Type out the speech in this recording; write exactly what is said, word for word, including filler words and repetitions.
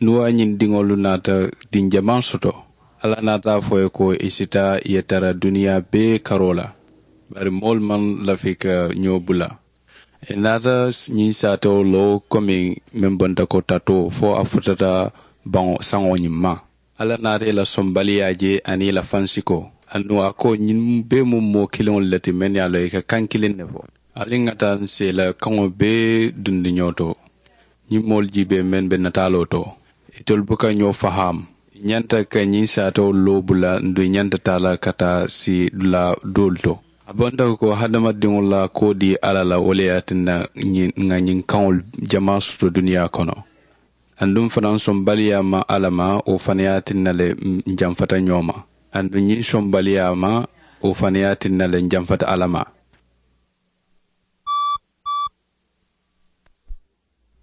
Nuwa ñiŋ diŋolu naata diŋ jamaa soto. Alla naata a fo i ye ko i si taa i ye tara duniyaa bee karoo la. Bari moolu maŋ lafi ka ñoo bula. I naata ñiŋ saatewo loo komi meŋ bonta ko tatoo fo a futata baŋo saŋo ñiŋ ma. Alla naata i la sombaliyaa je aniŋ i la fansikoo. Aduŋ a ko ñiŋ bee mu moo kiliŋolu le ti mennu ye a loŋ i ka kaŋ kiliŋ ne fo. Ali ŋa taa n si i la kaŋo bee dundi ñoo to. Ñiŋ moolu jiibee meŋ be nataaloo to, itolu buka ñoo fahaamu. I ñanta ka ñiŋ saatewolu loo bula nduŋ i ñanta taa la ka taa si dulaa doolu to. A bonta ko hadamadiŋo la kuwo dii alla la wo le ye a tinna ŋa ñiŋ kaŋolu jamaa soto duniyaa kono. Aduŋ fanaŋ sombaliyaa ma alla ma wo fanaŋ ye a tinna le n janfata ñoo ma. Aduŋ ñiŋ sombaliyaa ma wo fanaŋ ye a tinna le n janfata alla ma.